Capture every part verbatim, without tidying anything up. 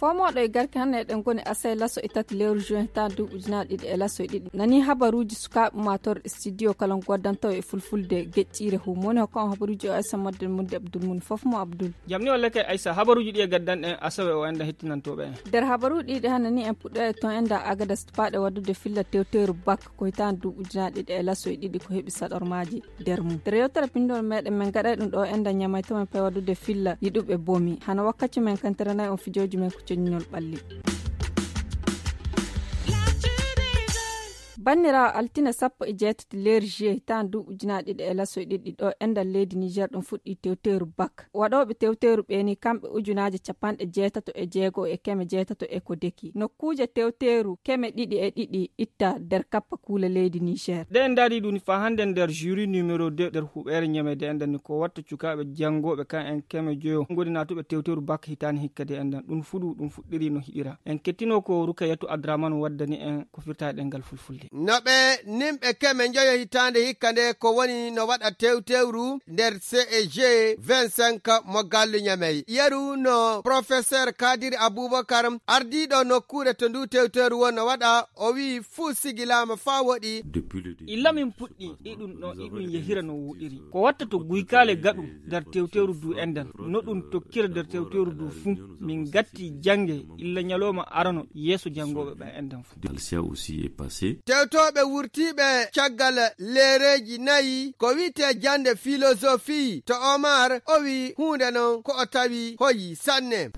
fomoɗo e garke hanne ɗen goni asay laso itati lewru juin ta du ujuna ɗiɗi e laso e ɗiɗi nani habaruji sukaɓe mator studio kala goddantaw e fulfulde geccire humone ko habaruji o Aissa Modde Mudde Abdoul mun fofmo Abdoul jamni walla kay Aissa habaruji ɗi e gaddan en asawe o enda hettinantoɓe der habaruji ɗi hanani en puɗɗo ton enda Agadas paɗe waddude filla tewteru bak ko hitan du ujuna ɗiɗi e laso e ɗiɗi ko heɓi saɗormaji der mum der yewtere pindol meɗen men gaɗay ɗum ɗo enda ñamay to men pay waddude filla yiɗuɓe bomi hana wakkati men kanteranayi on fijoji men ko coññol ɓalli bannira altina sappo e jeetati lewru juillet tan du ujuna ɗiɗi e laso e ɗiɗi ɗo endal leydi Niger ɗum fuɗɗi tewteru bak waɗoɓe tewteru ɓeni kamɓe ujunaje capanɗe jeetato e jeego e keme jeetato e ko deki nokkuje tewteru keme ɗiɗi e ɗiɗi itta nder kappa kuula leydi Niger de en daari ɗum fa hande nder jury numéro deux nder huɓere ñamede endan ni ko watta cukaɓe jangoɓe kan en keme joyo godi natuɓe tewteru bak hitani hikkade endan ɗum fuɗu ɗum fuɗɗiri no hiɗira en kettino ko Rukayatu Abdraman waddani en ko firta ɗengal fulfulde no ɓe nimɓe keme joyo hitande hikka nde ko woni no waɗa tewtewru nder C E G vingt-cinq mo gallu ñamey yeru no professeur Kadiri Aboubacar ardiɗo nokkure to ndu tewtewru won no waɗa o wi fuu sigilama fa woɗi illa min puɗɗi ɗiɗum ɗo ɗiɗum yehira no wuɗiri ko watta to guykale gaɗu nder tewtewru du endan no ɗum tokkira nder tewtewru du fuu min gatti jange illa ñaloma arano yeeso jangoɓe ɓe endan fuu tewtoɓe wurtiɓe caggal lereji nayi ko wiite jande philosophie to Omar o wi hunde non ko o tawi hoyi sanne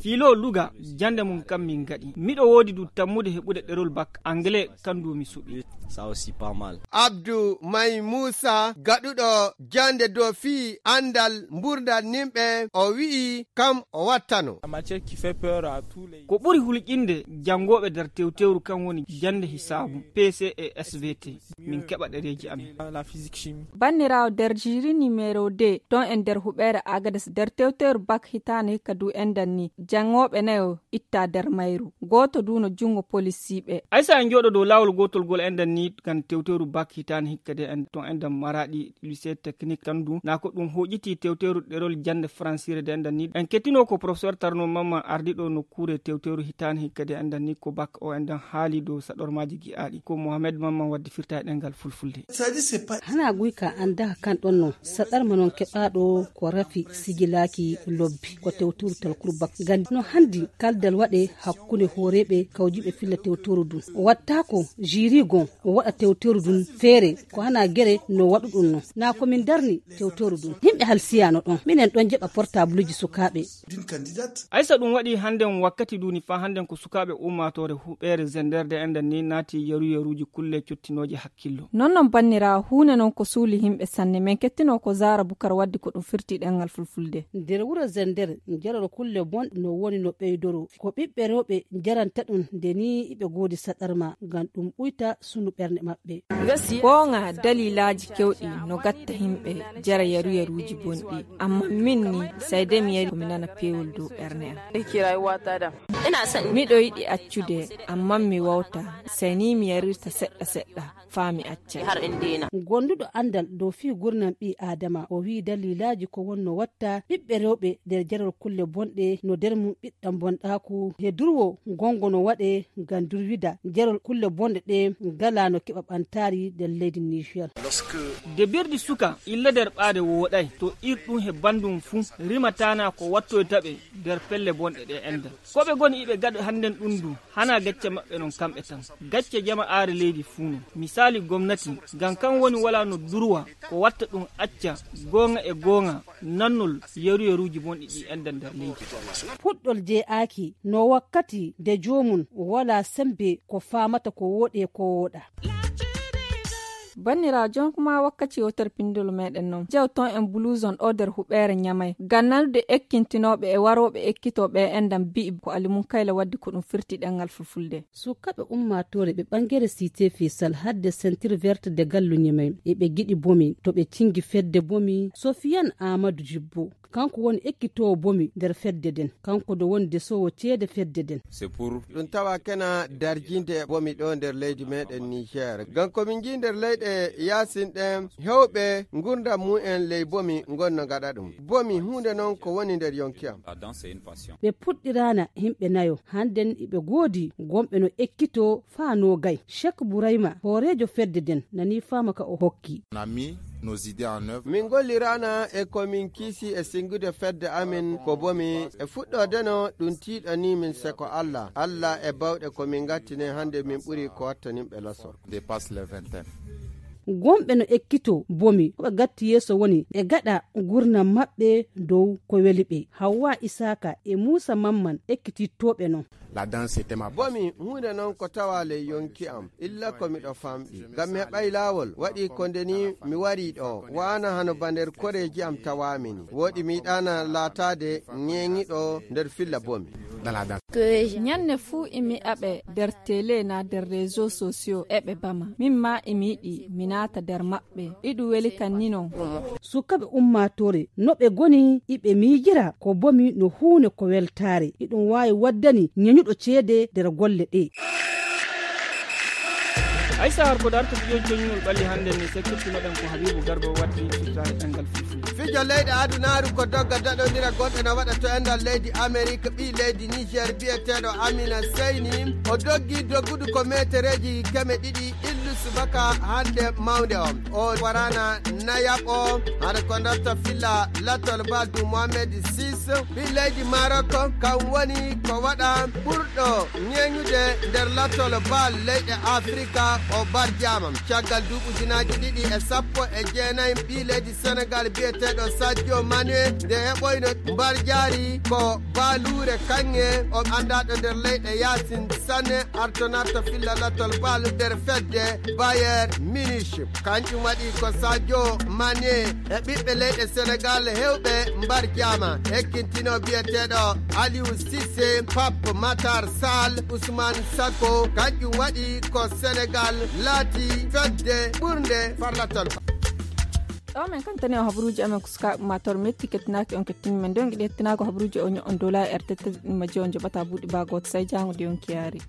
philo luga jande mum kam min gaɗi miɗo wodi du tammude heɓude ɗerol bac anglais kandu mi suɓi ça aussi pas mal. Abdou May Moussa gaɗuɗo jande do fi andal mburdal nimɓe o wi'i kam o wattano matière qui fait peur à tous les ko ɓuri hulƴinde jangoɓe nder tewtewru kan woni jande hisabu P C et S V T min keɓa ɗereji amin la physique chimie bannirawo der jury numéro deux ton en der huɓere Agadas der tewteru bak hitane hikka du endan ni jangoɓe nayo itta der mayru goto du no jungo policiɓe Aissa en joɗo dow lawol gotol gol endan ni kan tewteru bak hitane hikkade en ton endan Maradi lycée technique kandu na ko ɗum hoƴiti tewteru ɗerol jande francire de endan ni en kettino ko professeur Tarno Mamman ardiɗo no kure tewteru hitane hikkade endan ni ko bak o endan haali dow saɗormaji gi'aɗi ko Mohamed Mamman waddi firta e ɗengal fulfulde hana guyka anda kan ɗon no saɗarma non keɓaɗo ko rafi sigilaki lobbi ko tewteru talkuru bak gandi no handi kaldal waɗe hakkunde horeɓe kawjiɓe filla tewteru dun watta ko jiri gon o waɗa tewteru dun feere ko hana gere no waɗu ɗum no na ko min darni tewteru dun himɓe halsiyano ɗon minen ɗon jeɓa portable ji sukaɓe Aissa ɗum waɗi handen wakkati duni fa handen ko sukaɓe ummatore huɓere zenderde endan ni naati yeru yeruji kulle cottinoje hakkillo non non bannira hunde non ko suuli himɓe sanne men kettino ko Zara Bukar waddi ko ɗum firti ɗengal fulfulde nder wuro zender jarol kulle bonɗe no woni no ɓeydoro ko ɓiɓɓe rewɓe jaranta ɗum nde ni iɓe goodi saɗarma ngam ɗum ɓuyta sunu ɓernde maɓɓe gonga dalilaji kewɗi no gatta himɓe jara yeru yeruji bonɗi amma min ni sayde mi yari komi nana pewol dow ɓerne am ina son miɗo yiɗi accude amma mi wawta sai ni mi yarirta seɗɗa seɗɗa faami acca har en dena gonduɗo andal dow fi gurnam ɓi adama o wi dalilaji ko wonno watta ɓiɓɓe rewɓe nder jaral kulle bonɗe no nder mum ɓiɗɗam bonɗaku he durwo gongo no waɗe ngam durwida jaral kulle bonɗe ɗe ngala no keɓa ɓantari nder leydi Niger de birdi suka illa nder ɓaade woɗay to irɗum he bandum fuu rimatana ko wattoytaɓe nder pelle bonɗe ɗe enda koɓe goni iɓe gaɗo handen ɗum du hana gacce maɓɓe non kamɓe tan gacce jama'are leydi fuu no misali gomnati ngam kan woni wala no durwa ko watta ɗum acca gonga e gonga nannol yeru yeruji bonɗi ɗi enda nder leydi puɗɗol je'aki no wakkati de jomum wala sembe ko famata ko woɗe ko woɗa bannira jon kuma wakkati woter pindol meɗen non jew ton en blouson o nder huɓere ñamay gannalde ekkintinoɓe e waroɓe ekkitoɓe endan bi'i ko alimun kayla waddi ko ɗum firti ɗengal fulfulde sukaɓe ummatore ɓe ɓangere cité Faisal hadde ceinture verte de gallu ñamay e ɓe giɗi bomi to ɓe cingi fedde bomi Sofiane Amadou Jibbo kanko woni ekkitowo bomi nder fedde den kanko do woni desowo ceede fedde den c'est pour ɗum tawa kena darjinde bomi ɗo nder leydi meɗen Niger ngam komin ji nder leyɗe leyɗe yasinɗe hewɓe gurdam mu'en ley bomi gonno gaɗa ɗum. Bomi hunde noon ko woni nder yonki am. ɓe puɗɗirana himɓe nayo hannden iɓe goodi gomɓe no ekkito faa no gay. Cheikh Bourayma hoorejo fedde den nani fama ka o hokki. min gollirana e komin kiisi e singude fedde amin ko bomi e fuɗɗodeno ɗum tiiɗo ni min seko Allah Allah e bawɗe komin gattine hande min ɓuri ko wattanimɓe laso gomɓe no ekkito bomi koɓe gatti yeeso woni e gaɗa gurnam maɓɓe dow ko weli ɓe. Hawwa Isaka e Musa Mamman ekkitittoɓe non. bomi hunde noon ko tawa ley yonki am illa ko miɗo famɗi ngam mi heɓay laawol waɗi ko ndeni mi wari ɗo wana hano ba nder koreji am tawamini woɗi mi yiɗana laatade ñeŋiɗo nder filla bomi. ñande fuu imi aɓe nder télé na nder réseau sociaux eɓe bama min ma imi yiɗi mi naata nder maɓɓe iɗu weli kan ni non. Sukaɓe ummatore no ɓe goni iɓe miijira ko bomi no huune ko weltare iɗum wawi waddani ñeñuɗo ceede nder golle ɗe. aysa har ko darto biyon coñol ɓalli hande ni sekkitinoɗen ko Habibu Garba waddi firtare ɗangal fifi fijo leyɗe adunaru ko dogga daɗodira gonɗe no waɗa to endal leydi Amérique ɓi leydi Niger biyeteɗo Amina Seyni o doggi doggudu ko metereji keme ɗiɗi illu subaka hande mawde o o warana nayaɓo haɗa ko darta filla latol baldu Mohamed Sis ɓi leydi Maroc kam woni ko waɗa ɓurɗo ñeñude nder latol bal leyɗe Afrika o barjama caggal duɓujinaji ɗiɗi e sappo e jeenayi ɓi leydi Sénégal biyeteɗo Sadio Mané nde heɓoyno barjari ko balure kanŋe o andaɗo nder leyɗe Yasin Sané artonarta filla latol bal nder fedde Bayern Munich kanjum waɗi ko Sadio Mané e ɓiɓɓe leyɗe Sénégal hewɓe barjama ekkintino biyeteɗo Aliou Cissé Pape Matar Sall Ousmane Sako kanjum waɗi ko Sénégal laati fedde ɓurde farlatol. ɗo men kantani o habruji amen kuska mator metti kettinaki on kettini men dongi ɗettinako habruji o on dola e r tete majjo on joɓata buuɗi bagoto say jangude on kiyari.